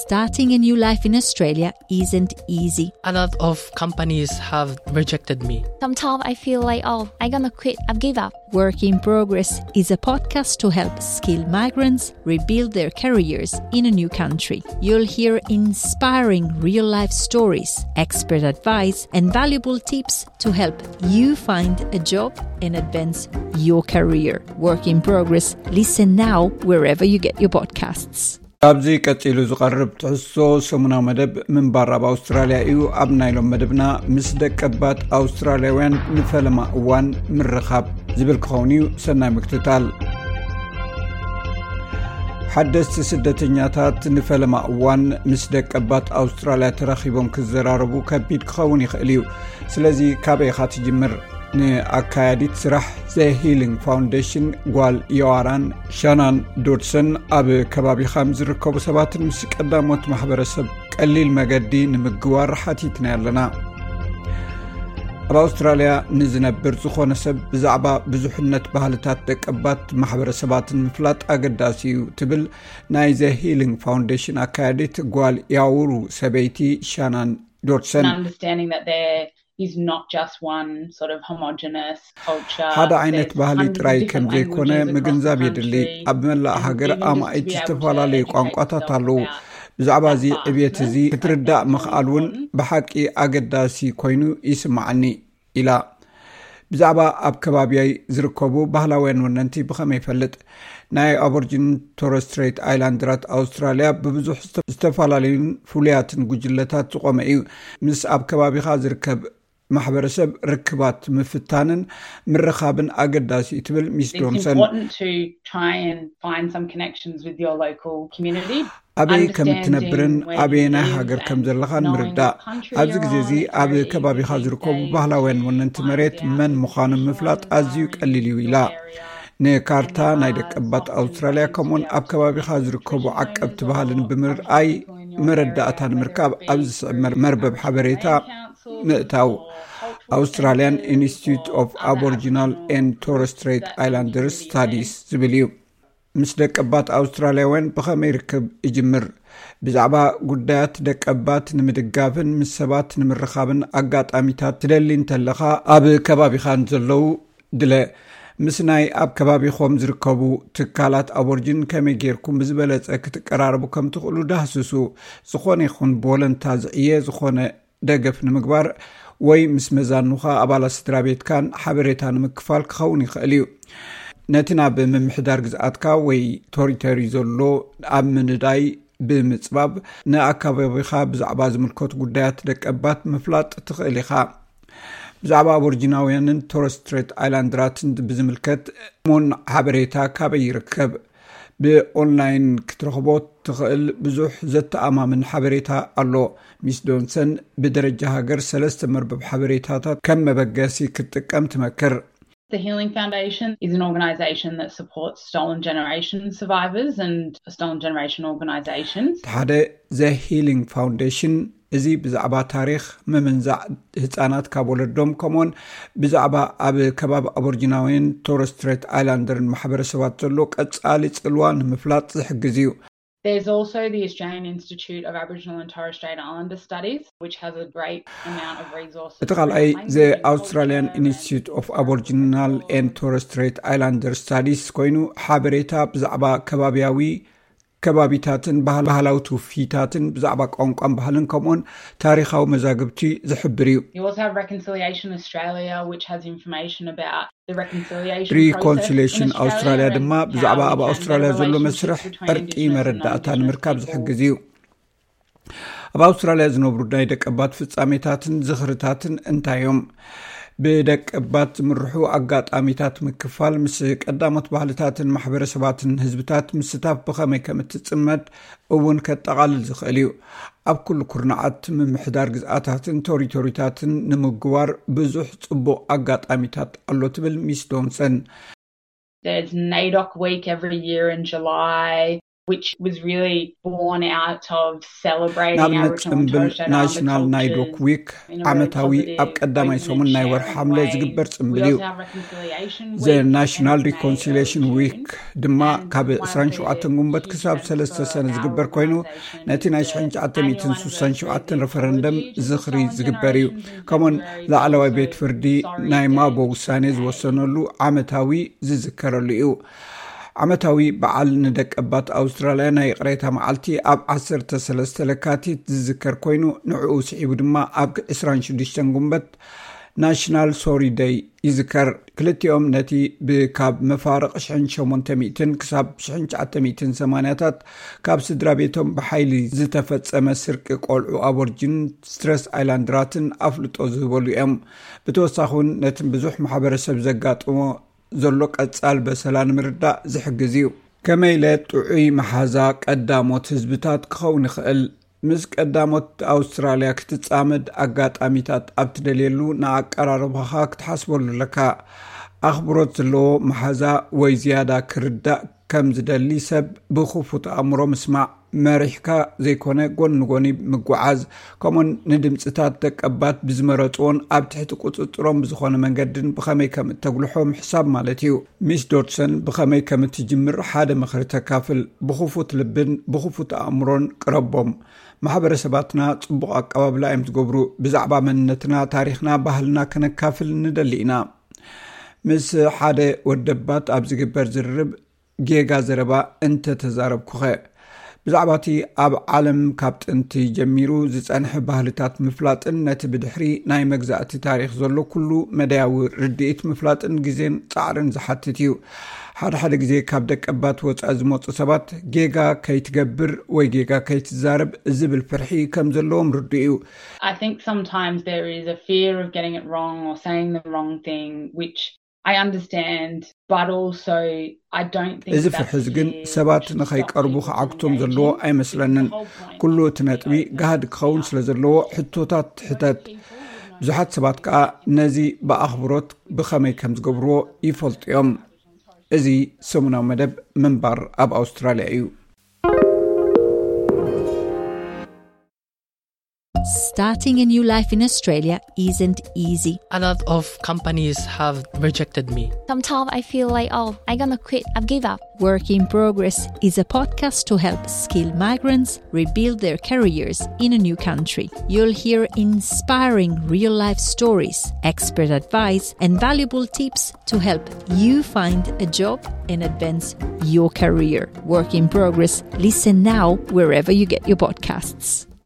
Starting a new life in Australia isn't easy. A lot of companies have rejected me. Sometimes I feel like, oh, I'm gonna quit, I've give up. Work in Progress is a podcast to help skilled migrants rebuild their careers in a new country. You'll hear inspiring real life stories, expert advice, and valuable tips to help you find a job and advance your career. Work in Progress. Listen now wherever you get your podcasts. ካብዚ ቀጺሉ ዝቐርብ ትሕዝቶ ሰሙናዊ መደብ ምንባር ኣብ ኣውስትራልያ እዩ። ኣብ ናይ ሎም መደብና ምስ ደቀባት ኣውስትራልያውያን ንፈለማ እዋን ምርኻብ ዝብል ክኸውን እዩ። ሰናይ ምክትታል። ሓደስቲ ስደተኛታት ንፈለማ እዋን ምስ ደቀባት ኣውስትራልያ ተራኺቦም ክዘራረቡ ከቢድ ክኸውን ይኽእል እዩ። ስለዚ ካበይ ኢኻ ትጅምር? ንኣካያዲት ስራሕ ዘ ሂሊንግ ፋውንዴሽን ጓል ዮዋራን ሻናን ዶድሰን ኣብ ከባቢኻ ምስ ዝርከቡ ሰባትን ምስ ቀዳሞት ማሕበረሰብ ቀሊል መገዲ ንምግዋር ሓቲትና ኣለና። ኣብ ኣውስትራልያ ንዝነብር ዝኾነ ሰብ ብዛዕባ ብዙሕነት ባህልታት ደቀባት ማሕበረሰባትን ምፍላጥ ኣገዳሲ እዩ ትብል ናይ ዘ ሂሊንግ ፋውንዴሽን ኣካያዲት ጓል ያውሩ ሰበይቲ ሻናን ዶድሰን። And understanding that there is not just one sort of homogenous culture. ሓደ ዓይነት ባህሊ ጥራይ ከም ዘይኮነ ምግንዛብ የድሊ። ኣብ መላእ ሃገር ኣማኢት ዝተፈላለዩ ቋንቋታት ኣለዉ። ብዛዕባ እዚ ዕብየት እዚ ክትርዳእ ምኽኣል እውን ብሓቂ ኣገዳሲ ኮይኑ ይስምዓኒ ኢላ። ብዛዕባ ኣብ ከባቢያይ ዝርከቡ ባህላውያን ወነንቲ ብኸመይ ይፈልጥ? ናይ ኣቦርጂን ቶረስ ስትሬት ኣይላንድራት ኣውስትራልያ ብብዙሕ ዝተ-፣ ዝተፈላለዩን ፍሉያትን ጉጅለታት ዝቖመ እዩ። ምስ ኣብ ከባቢኻ ዝርከብ ማሕበረሰብ ርክባት ምፍታንን ምርኻብን ኣገዳሲ እዩ ትብል ሚስ It's ዶንሰን። Important to try and find some connections with your local community. ኣበይ ከም እትነብርን ኣበየናይ ሃገር ከም ዘለኻን ምርዳእ። ኣብዚ ግዜ እዚ ኣብ ከባቢኻ ዝርከቡ ባህላውያን ወነንቲ መሬት መን ምዃኖም ምፍላጥ ኣዝዩ ቀሊል እዩ ኢላ። ንካርታ ናይ ደቀባት ኣውስትራልያ ከምኡውን ኣብ ከባቢኻ ዝርከቡ ዓቀብቲ ባህልን ብምርኣይ መረዳእታ ንምርካብ ኣብዚ ዝስዕብ መር-፣ መርበብ ሓበሬታ ምእታው። ኣውስትራልያን ኢንስቲትዩት ኦፍ ኣቦሪጂናል ኤንድ ቶረስ ስትሬት ኣይላንደርስ ስታዲስ ዝብል እዩ። ምስ ደቀባት ኣውስትራልያውያን ብኸመይ ርክብ እጅምር? ብዛዕባ ጉዳያት ደቀባት ንምድጋፍን ምስ ሰባት ንምርኻብን ኣጋጣሚታት ትደሊ እንተለኻ፣ ኣብ ከባቢኻ ንዘለዉ ድለ። ምስ ናይ ኣብ ከባቢኹም ዝርከቡ ትካላት ኣቦርጅን ከመይ ጌርኩም ብዝበለጸ ክትቀራረቡ ከም ትኽእሉ ዳህስሱ። ዝኾነ ይኹን ብወለንታ ዝዕየ ዝኾነ ደገፍ ንምግባር ወይ ምስ መዛኑኻ፣ ኣባላት ስድራ ቤትካን ሓበሬታ ንምክፋል ክኸውን ይኽእል እዩ። ነቲ ናብ ምምሕዳር ግዝኣትካ ወይ ቶሪቶሪ ዘሎ ኣብ ምንዳይ ብምጽባብ ንኣካባቢኻ ብዛዕባ ዝምልከቱ ጉዳያት ደቀባት ምፍላጥ ትኽእል ኢኻ። ብዛዕባ ኣቦርጂናውያንን ቶረስ ስትሬት ኣይላንድራትን ብዝምልከት እሙን ሓበሬታ ካበይ ይርከብ? ብኦንላይን ክትረኽቦ ትኽእል ብዙሕ ዘተኣማምን ሓበሬታ ኣሎ። ሚስ ዶንሰን ብደረጃ ሃገር ሰለስተ መርበብ ሓበሬታታት ከም መበገሲ ክትጥቀም ትመክር። The Healing Foundation is an organisation that supports stolen generation survivors and stolen generation organisations. እቲ ሓደ ዘ ሂሊንግ ፋውንዴሽን፣ እዚ ብዛዕባ ታሪኽ ምምንዛዕ ህጻናት ካብ ወለዶም፣ ከምኡውን ብዛዕባ ኣብ ከባቢ ኣቦርጂናውያን ቶረስ ስትሬት ኣይላንደርን ማሕበረሰባት ዘሎ ቀጻሊ ጽልዋ ንምፍላጥ ዝሕግዝ እዩ። There's also the Australian Institute of Aboriginal and Torres Strait Islander Studies, which has a great amount of resources. እቲ ካልኣይ ዘ ኣውስትራልያን ኢንስቲትዩት ኦፍ ኣቦርጂናል ኤንድ ቶረስ ስትሬት ኣይላንደር ስታዲስ ኮይኑ፣ ሓበሬታ ብዛዕባ ከባቢያዊ ከባቢታትን ባህል-፣ ባህላዊ ትውፊታትን ብዛዕባ ቋንቋን ባህልን ከምኡውን ታሪኻዊ መዛግብቲ ዝሕብር እዩ። You also have Reconciliation Australia, which has information about the reconciliation process in ሪኮንሲሊየሽን Australia ኣውስትራልያ and ድማ ብዛዕባ how ኣብ we can ኣውስትራልያ better ዘሎ relationships መስርሕ between እርቂ Indigenous and መረዳእታ non-Indigenous ንምርካብ people. ዝሕግዝ እዩ። ኣብ ኣውስትራልያ ዝነብሩ ናይ ደቀባት ፍጻሜታትን ዝኽርታትን እንታይ እዮም? ብደቀባት ዝምርሑ ኣጋጣሚታት ምክፋል፣ ምስ ቀዳሞት ባህልታትን ማሕበረሰባትን ህዝብታት ምስታፍ ብኸመይ ከም እትጽመድ እውን ከጠቓልል ዝኽእል እዩ። ኣብ ኩሉ ኩርናዓት ምምሕዳር ግዝኣታትን ቶሪቶሪታትን ንምግዋር ብዙሕ ጽቡቕ ኣጋጣሚታት ኣሎ ትብል ሚስ ዶንሰን። There's NAIDOC week every year in July. which was really born out of celebrating our Rachel's and Tosha National Nidoc Week ዓመታዊ ኣብ ቀዳማይ ሰሙን ናይ ወርሒ ሓምለ ዝግበር ጽምብል እዩ። The National Reconciliation Week ድማ ካብ ዕስራን ሸውዓተን ጉንበት ክሳብ ሰለስተ ሰነ ዝግበር ኮይኑ፣ ነቲ ናይ ሽሕን ትሽዓተ ሚእትን ስሳን ሸውዓተን ረፈረንደም ዝኽሪ ዝግበር እዩ። ከምኡን ላዕለዋይ ቤት ፍርዲ ናይ ማቦ ውሳኔ ዝወሰነሉ ዓመታዊ ዝዝከረሉ እዩ። ዓመታዊ በዓል ንደቀባት ኣውስትራልያ ናይ ይቕሬታ መዓልቲ ኣብ ዓሰርተ ሰለስተ ለካቲት ዝዝከር ኮይኑ፣ ንዕኡ ስዒቡ ድማ ኣብ ዕስራን ሽዱሽተን ጉንበት ናሽናል ሶሪ ደይ ይዝከር። ክልቲኦም ነቲ ብካብ መፋርቕ ሽሕን ሸሞንተ ሚእትን ክሳብ ሽሕን ትሽዓተ ሚእትን ሰማንያታት ካብ ስድራ ቤቶም ብሓይሊ ዝተፈጸመ ስርቂ ቆልዑ ኣቦርጂን ስትረስ ኣይላንድራትን ኣፍልጦ ዝህበሉ እዮም። ብተወሳኺ እውን ነቲ ብዙሕ ማሕበረሰብ ዘጋጥሞ ዘሎ ቀጻል በሰላ ንምርዳእ ዝሕግዝ እዩ። ከመይ ኢለ ጥዑይ መሓዛ ቀዳሞት ህዝብታት ክኸውን ይኽእል? ምስ ቀዳሞት ኣውስትራልያ ክትጻመድ ኣጋጣሚታት ኣብ ትደልየሉ ንኣቀራርባኻ ክትሓስበሉ ኣለካ። ኣኽብሮት ዘለዎ መሓዛ ወይ ዝያዳ ክርዳእ ከም ዝደሊ ሰብ ብኽፉት ኣእምሮ ምስማዕ፣ መሪሕካ ዘይኮነ ጎኒ ንጎኒ ምጉዓዝ፣ ከምኡን ንድምጽታት ደቀባት ብዝመረጽዎን ኣብ ትሕቲ ቁጽጽሮም ብዝኾነ መንገድን ብኸመይ ከም እተጉልሖ ምሕሳብ ማለት እዩ። ሚስ ዶድሰን ብኸመይ ከም እትጅምር ሓደ ምኽሪ ተካፍል። ብኽፉት ልብን ብኽፉት ኣእምሮን ቅረቦም። ማሕበረሰባትና ጽቡቕ ኣቀባብላ እዮም ዝገብሩ። ብዛዕባ መንነትና፣ ታሪኽና፣ ባህልና ከነካፍል ንደሊ ኢና። ምስ ሓደ ወደባት ኣብ ዝግበር ዝርርብ ጌጋ ዘረባ እንተ ተዛረብኩኸ? ብዛዕባ እቲ ኣብ ዓለም ካብ ጥንቲ ጀሚሩ ዝጸንሐ ባህልታት ምፍላጥን ነቲ ብድሕሪ ናይ መግዛእቲ ታሪኽ ዘሎ ኩሉ መዳያዊ ርድኢት ምፍላጥን ግዜን ጻዕርን ዝሓትት እዩ። ሓደ ሓደ ግዜ ካብ ደቀባት ወጻኢ ዝመጹ ሰባት ጌጋ ከይትገብር ወይ ጌጋ ከይትዛረብ ዝብል ፍርሒ ከም ዘለዎም ርዱእ እዩ። I think sometimes there is a fear of getting it wrong or saying the wrong thing, which I understand, but also I don't think እዚ ፍርሒ እዚ ግን ሰባት ንኸይቀርቡ ክዓግቶም ዘለዎ ኣይመስለንን። ኩሉ እቲ ነጥቢ ጋህዲ ክኸውን ስለ ዘለዎ ሕቶታት ትሕተት። ብዙሓት ሰባት ከኣ ነዚ ብኣኽብሮት ብኸመይ ከም ዝገብርዎ ይፈልጡ እዮም። እዚ ሰሙናዊ መደብ ምንባር ኣብ ኣውስትራልያ እዩ። Starting a new life in Australia isn't easy. A lot of companies have rejected me. Sometimes I feel like, oh, I'm gonna quit, I've give up. Work in Progress is a podcast to help skilled migrants rebuild their careers in a new country. You'll hear inspiring real life stories, expert advice, and valuable tips to help you find a job and advance your career. Work in Progress. Listen now wherever you get your podcasts.